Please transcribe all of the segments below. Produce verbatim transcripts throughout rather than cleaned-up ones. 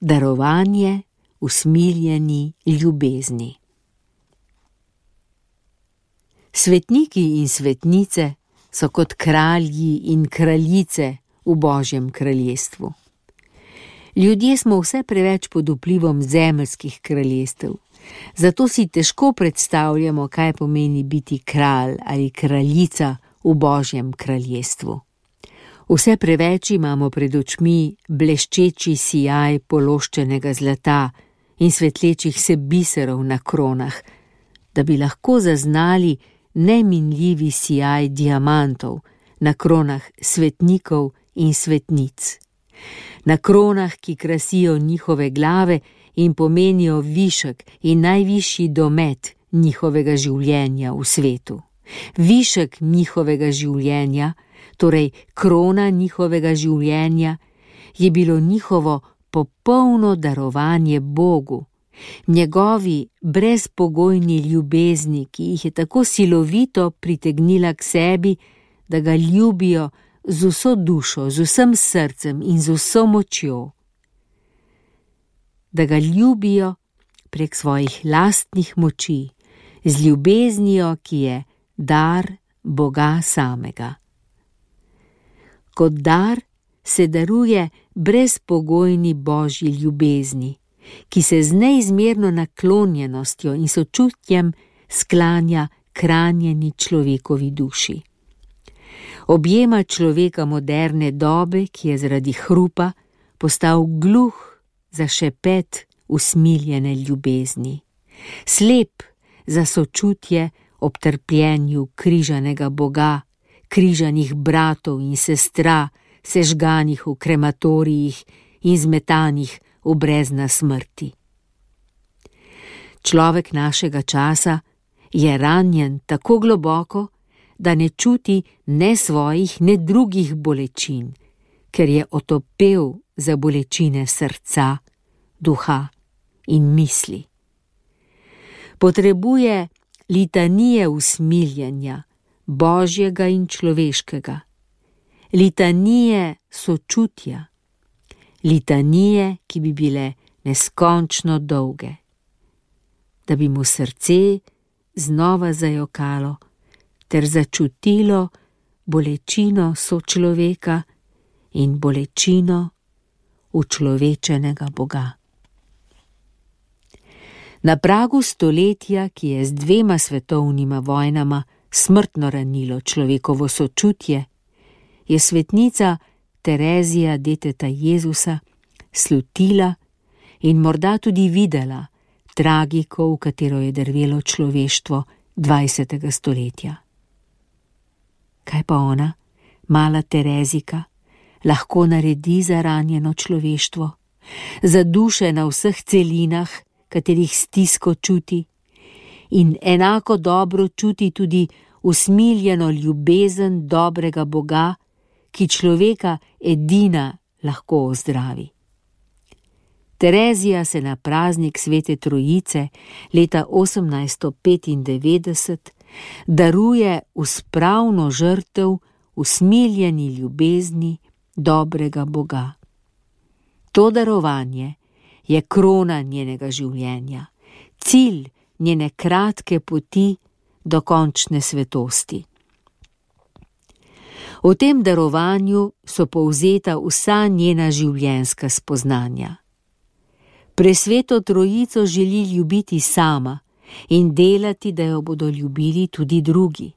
darovanje usmiljeni ljubezni. Svetniki in svetnice so kot kralji in kraljice v Božjem kraljestvu. Ljudje smo vse preveč pod vplivom zemeljskih kraljestev, zato si težko predstavljamo, kaj pomeni biti kralj ali kraljica v Božjem kraljestvu. Vse preveč imamo pred očmi bleščeči sijaj pološčenega zlata in svetlečih se biserov na kronah, da bi lahko zaznali neminljivi sijaj diamantov na kronah svetnikov in svetnic. Na kronah, ki krasijo njihove glave in pomenijo višek in najvišji domet njihovega življenja v svetu. Višek njihovega življenja, torej krona njihovega življenja, je bilo njihovo popolno darovanje Bogu, njegovi brezpogojni ljubezni, ki jih je tako silovito pritegnila k sebi, da ga ljubijo z vso dušo, z vsem srcem in z vso močjo. Da ga ljubijo prek svojih lastnih moči, z ljubeznijo, ki je dar Boga samega. Kot dar se daruje brezpogojni Božji ljubezni, ki se z neizmerno naklonjenostjo in sočutjem sklanja k ranjeni človekovi duši. Objema človeka moderne dobe, ki je zaradi hrupa postal gluh za šepet usmiljene ljubezni, slep za sočutje ob trpljenju križanega Boga, križanih bratov in sestra, sežganih v krematorijih in zmetanih v brezna smrti. Človek našega časa je ranjen tako globoko, da ne čuti ne svojih, ne drugih bolečin, ker je otopel za bolečine srca, duha in misli. Potrebuje litanije usmiljenja, Božjega in človeškega, litanije sočutja, litanije, ki bi bile neskončno dolge, da bi mu srce znova zajokalo ter začutilo bolečino sočloveka in bolečino učlovečenega Boga. Na pragu stoletja, ki je z dvema svetovnima vojnama smrtno ranilo človekovo sočutje, je svetnica Terezija deteta Jezusa slutila in morda tudi videla tragiko, v katero je drvelo človeštvo dvajsetega stoletja. Kaj pa ona, mala Terezika, lahko naredi za ranjeno človeštvo, za duše na vseh celinah, katerih stisko čuti, in enako dobro čuti tudi usmiljeno ljubezen dobrega Boga, ki človeka edina lahko ozdravi. Terezija se na praznik Svete Trojice leta osemnajststo petindevetdeset daruje v spravno žrtev usmiljeni ljubezni dobrega Boga. To darovanje je krona njenega življenja, cilj njene kratke poti do končne svetosti. V tem darovanju so povzeta vsa njena življenjska spoznanja. Presveto Trojico želi ljubiti sama in delati, da jo bodo ljubili tudi drugi.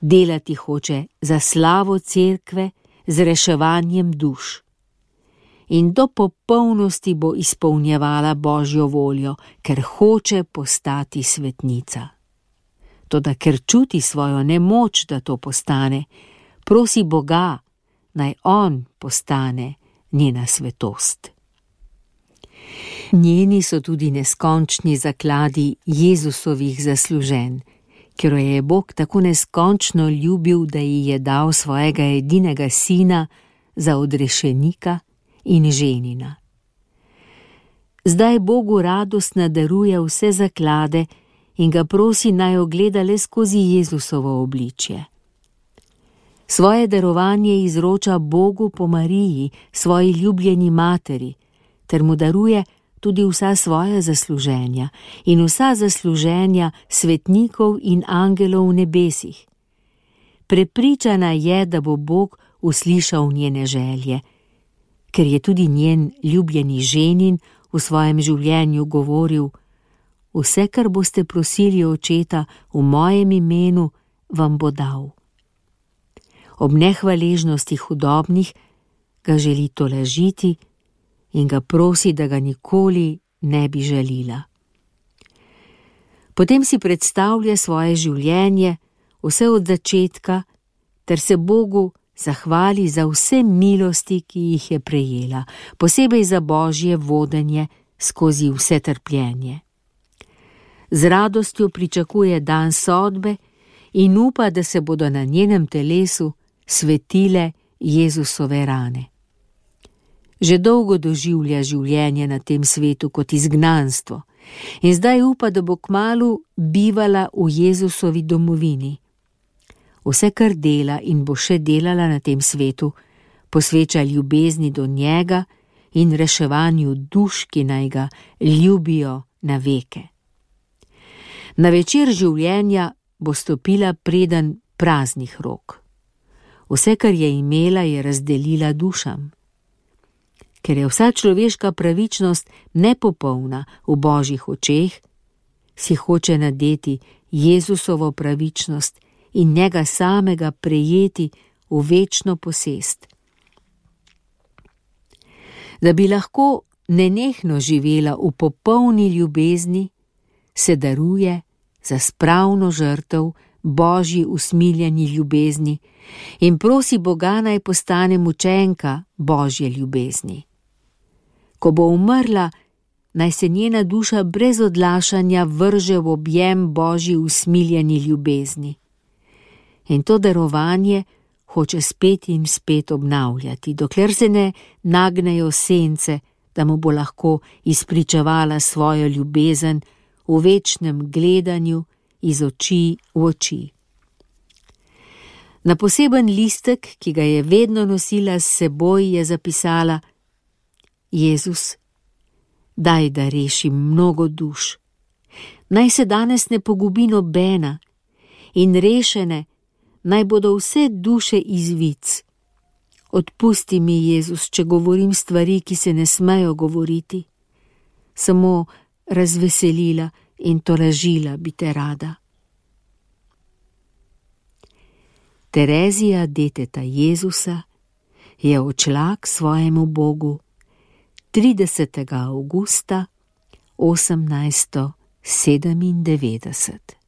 Delati hoče za slavo cerkve z reševanjem duš. In do popolnosti bo izpolnjevala Božjo voljo, ker hoče postati svetnica. Toda ker čuti svojo nemoč, da to postane, prosi Boga, naj on postane njena svetost. Njeni so tudi neskončni zakladi Jezusovih zasluženj, ker jo je Bog tako neskončno ljubil, da ji je dal svojega edinega sina za odrešenika in ženina. Zdaj Bogu radostno daruje vse zaklade in ga prosi, naj ogleda le skozi Jezusovo obličje. Svoje darovanje izroča Bogu po Mariji, svoji ljubljeni materi, ter mu daruje tudi vsa svoja zasluženja in vsa zasluženja svetnikov in angelov v nebesih. Prepričana je, da bo Bog uslišal njene želje, ker je tudi njen ljubljeni ženin v svojem življenju govoril: vse, kar boste prosili očeta v mojem imenu, vam bo dal. Ob nehvaležnosti hudobnih ga želi tolažiti in ga prosi, da ga nikoli ne bi žalila. Potem si predstavlja svoje življenje, vse od začetka, ter se Bogu zahvali za vse milosti, ki jih je prejela, posebej za Božje vodenje skozi vse trpljenje. Z radostjo pričakuje dan sodbe in upa, da se bodo na njenem telesu svetile Jezusove rane. Že dolgo doživlja življenje na tem svetu kot izgnanstvo in zdaj upa, da bo kmalu bivala v Jezusovi domovini. Vse, kar dela in bo še delala na tem svetu, posveča ljubezni do njega in reševanju duš, ki naj ga ljubijo na veke. Na večer življenja bo stopila preden praznih rok. Vse, kar je imela, je razdelila dušam. Ker je vsa človeška pravičnost nepopolna v Božjih očeh, si hoče nadeti Jezusovo pravičnost in njega samega prejeti v večno posest. Da bi lahko nenehno živela v popolni ljubezni, se daruje za spravno žrtev Božji usmiljeni ljubezni in prosi Boga, naj postane mučenka Božje ljubezni. Ko bo umrla, naj se njena duša brez odlašanja vrže v objem Božji usmiljeni ljubezni. In to darovanje hoče spet in spet obnavljati, dokler se ne nagnejo sence, da mu bo lahko izpričevala svojo ljubezen v večnem gledanju iz oči v oči. Na poseben listek, ki ga je vedno nosila s seboj, je zapisala: Jezus, daj, da rešim mnogo duš. Naj se danes ne pogubi nobena in rešene naj bodo vse duše iz vic. Odpusti mi, Jezus, če govorim stvari, ki se ne smejo govoriti. Samo razveselila in tolažila bi te rada. Terezija, deteta Jezusa, je odšla k svojemu Bogu tridesetega avgusta osemnajststo sedemindevetdeset.